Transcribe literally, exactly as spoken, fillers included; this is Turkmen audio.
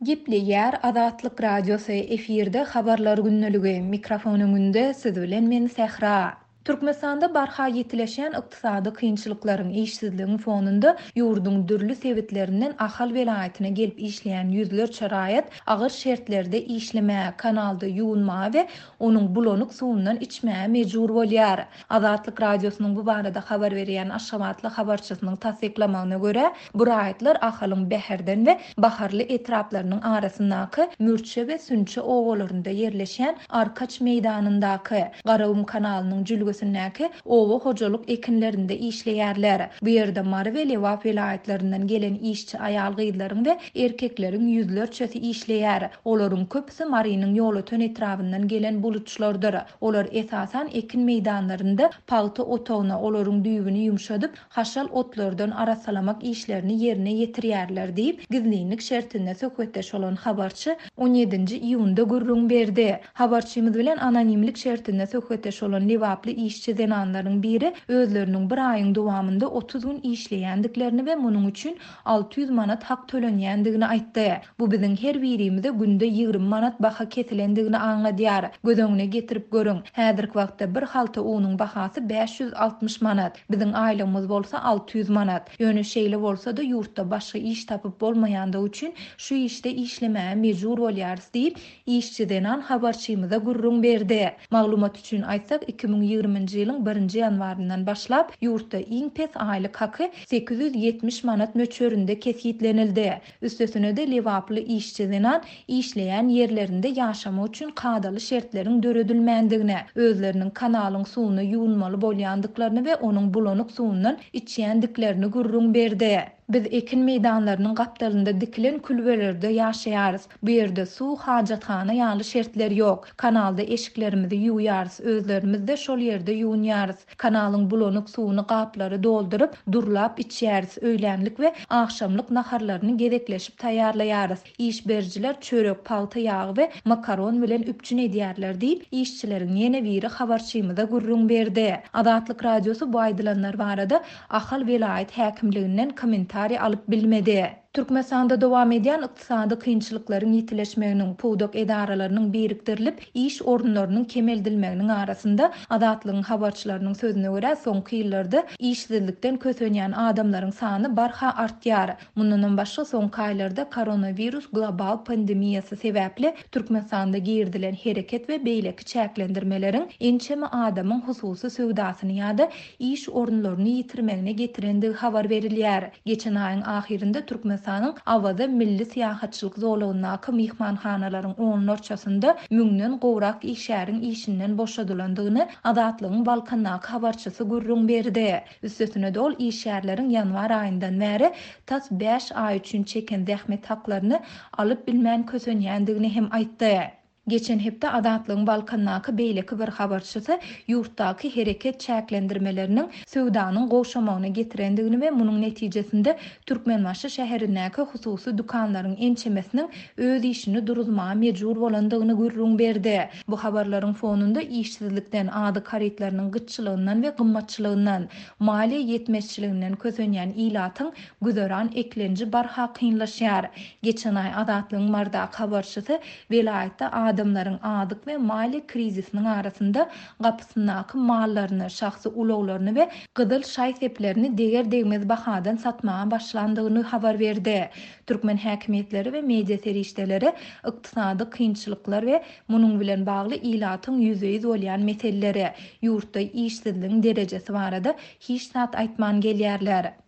Gepleýär Azatlyk Radiosy, efirde Habarlar gündeligi, mikrofon öňünde siz bilen men Sähra. Türkmenistanda barha ýitileşýän ykdysady kynçylyklaryň, işsizligiň fonunda ýurduň dürli sebitlerinden Ahal welaýatyna gelip işleýän ýüzlerçe raýat agyr şertlerde işlemäge, kanalda ýuwunmaga we onuň bulanyk suwundan içmäge mejbur bolýar. Azatlyk Radiosynyň bu barada habar berýän aşgabatly habarçysynyň tassyklamagyna görä, bu raýatlar Ahalyň Bäherden we Baharly etraplarynyň arasyndaky Mürçe we Sünçe obalarynda ýerleşýän Arkaç meýdanyndaky Garagum kanalynyň jülgesindäki oba hojalyk ekinlerinde işleýärler. Bu ýerde Mary we Lebap welaýatlaryndan gelen işçi aýal-gyzlaryň we erkekleriň ýüzlerçesi işleýär. Olaryň köpüsi Marynyň Ýolöten etrabyndan gelen buluçlardyr. Olar esasan ekin meýdanlarynda pagta otagyna, olaryň düýbüni ýumşadyp, haşal otlardan arassalamak işlerini ýerine ýetirýärler diýip, gizlinlik şertinde söhbetdeş bolan habarçy on ýedinji iýunda gürrüň berdi. Habarçymyz bilen anonimlik şertinde söhbetdeş bolan Lebaply işçi zenanlaryň biri özleriniň bir aýyň dowamynda otuz gün işleýändiklerini we munuň üçin alty ýüz manat hak tölenýändigini aýtdy. Bu biziň her birimize günde ýigrimi manat baha kesilendigini aňladýar. Göz öňüne getirip görüň. Häzirki wagtda bir halta unuň bahasy bäş ýüz altmyş manat. Biziň aýlygymyz bolsa alty ýüz manat. Ýöne şeýle bolsa-da ýurtda başga iş tapyp bolmaýandygy üçin şu işde işlemäge mejbur bolýarys diýip, işçi zenan habarçymyza gürrüň berdi. Maglumat üçin aýtsak, iki müň ýigriminji ýylyň birinji ýanwaryndan başlap ýurtda iň pes aýlyk haky sekiz ýüz ýetmiş manat möçberinde kesgitlenildi. Üstesine-de Lebaply işçi zenan işleýän ýerlerinde ýaşamak üçin kadaly şertleriň döredilmändigini, özleriniň kanalyň suwuna ýuwunmaly bolýandyklaryny we onuň bulanyk suwundan içýändiklerini gürrüň berdi. Biz ekin meýdanlarynyň gapdalynda dikilen külbelerde ýaşaýarys. Bu ýerde suw, hajathana ýaly şertler ýok. Kanalda eşiklerimizi ýuwýarys, özlerimiz de şol ýerde ýuwunýarys. Kanalyň bulanyk suwuny gaplary dolduryp, durlap içýäris. Öýlänlik we agşamlyk naharlaryny gezekleşip taýýarlaýarys. Iş berijiler çörek, pagta ýagy we makaron bilen üpjün edýärler diýip, işçileriň ýene biri habarçymyza gürrüň berdi. Azatlyk Radiosy bu aýdylanlar barada Ahal welaýat häkimliginden kommentariý alyp bilmedi. Türkmenistanda dowam edýän ykdysady kynçylyklaryň ýitileşmeginiň, pudak edaralarynyň birikdirilip, iş orunlarynyň kemeldilmeginiň arasynda Azatlygyň habarçylarynyň sözüne görä soňky ýyllarda işsizlikden kösenýän adamlaryň sany barha artýar. Mundan başga soňky aýlarda koronawirus global pandemiýasy sebäpli Türkmenistanda girdilen hereket we beýleki çäklendirmeleriň ençeme adamyň hususy söwdasyny ýa-da iş orunlaryny ýitirmegine getirendigi habar berilýär. Geçen aýyň ahyrynda Türkmenistanyň Awaza milli syýahatçylyk zolagyndaky myhmanhanalaryň onlarçasynda müňden gowrak işgäriň işinden boşadylandygyny Azatlygyň Balkandaky habarçysy gürrüň berdi. Üstesine de ol işgärleriň ýanwar aýyndan bäri tas bäş aý üçin çeken zähmet haklaryny alyp bilmän kösenýändigini hem aýtdy. Geçen hepde Azatlygyň Balkandaky beýleki bir habarçysy ýurtdaky hereket çäklendirmeleriniň söwdanyň gowşamagyna getirendigini we munuň netijesinde Türkmenbaşy şäherindäki hususy dükanlaryň ençemesiniň öz işini duruzmaga mejbur bolandygyny gürrüň berdi. Bu habarlaryň fonunda işsizlikden, azyk harytlarynyň gytçylygyndan we gymmatçylygyndan, maliýe ýetmezçiliginden kösenýän ilatyň güzeran eklenji barha kynlaşýar. Geçen aý Azatlygyň Mardaky habarçysy welaýatda adamlaryň azyk we maliýe krizisiniň arasynda gapysyndaky mallaryny, şahsy ulaglaryny we gyzyl şaý seplerini deger degmez bahadan satmaga başlandygyny habar berdi. Türkmen häkimiýetleri we media serişdeleri ykdysady kynçylyklar we munuň bilen bagly ilatyň ýüzbe-ýüz bolýan meseleleri, ýurtda işsizligiň derejesi barada hiç zat aýtman gelýärler.